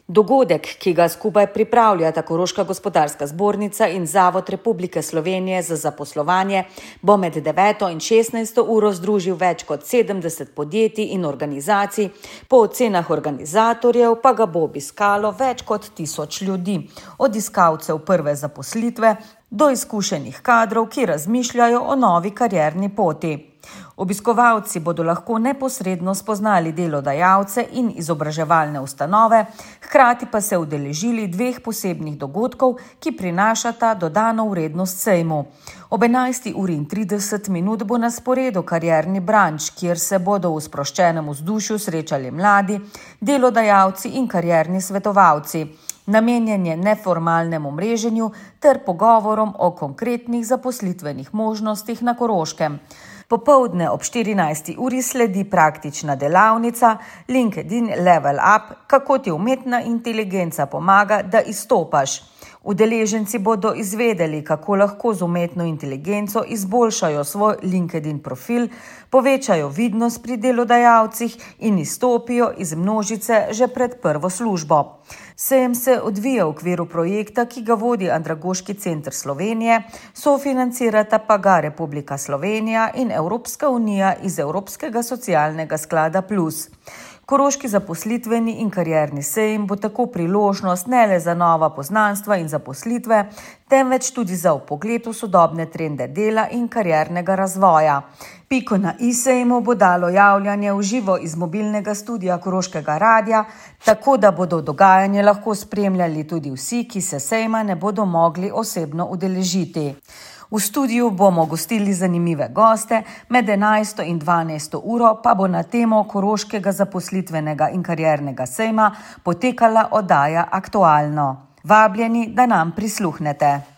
Dogodek, ki ga skupaj pripravljata Koroška gospodarska zbornica in Zavod Republike Slovenije za zaposlovanje, bo med 9. in 16. uro združil več kot 70 podjetij in organizacij, po ocenah organizatorjev pa ga bo obiskalo več kot 1000 ljudi, od iskalcev prve zaposlitve do izkušenih kadrov, ki razmišljajo o novi karierni poti. Obiskovalci bodo lahko neposredno spoznali delodajalce in izobraževalne ustanove, hkrati pa se udeležili 2 posebnih dogodkov, ki prinašata dodano vrednost sejmu. Ob 11:30 bo na sporedu karierni branč, kjer se bodo v sproščenem vzdušju srečali mladi, delodajalci in karierni svetovalci. Namenjen je neformalnemu mreženju ter pogovorom o konkretnih zaposlitvenih možnostih na Koroškem. Popoldne ob 14. uri sledi praktična delavnica LinkedIn Level Up, kako ti umetna inteligenca pomaga, da izstopaš. Udeleženci bodo izvedeli, kako lahko z umetno inteligenco izboljšajo svoj LinkedIn profil, povečajo vidnost pri delodajalcih in izstopijo iz množice že pred prvo službo. Sejem se odvija v okviru projekta, ki ga vodi Andragoški center Slovenije, sofinancirata pa ga Republika Slovenija in Evropska unija iz Evropskega socialnega sklada Plus. Koroški zaposlitveni in karierni sejem bo tako priložnost ne le za nova poznanstva in zaposlitve, temveč tudi za vpogled v sodobne trende dela in kariernega razvoja. Piko na i sejmu bo dalo javljanje v živo iz mobilnega studia Koroškega radia, tako da bodo dogajanje lahko spremljali tudi vsi, ki se sejma ne bodo mogli osebno udeležiti. V studiu bomo gostili zanimive goste, med 11. in 12. uro pa bo na temo Koroškega zaposlitvenega in kariernega sejma potekala oddaja Aktualno. Vabljeni, da nam prisluhnete.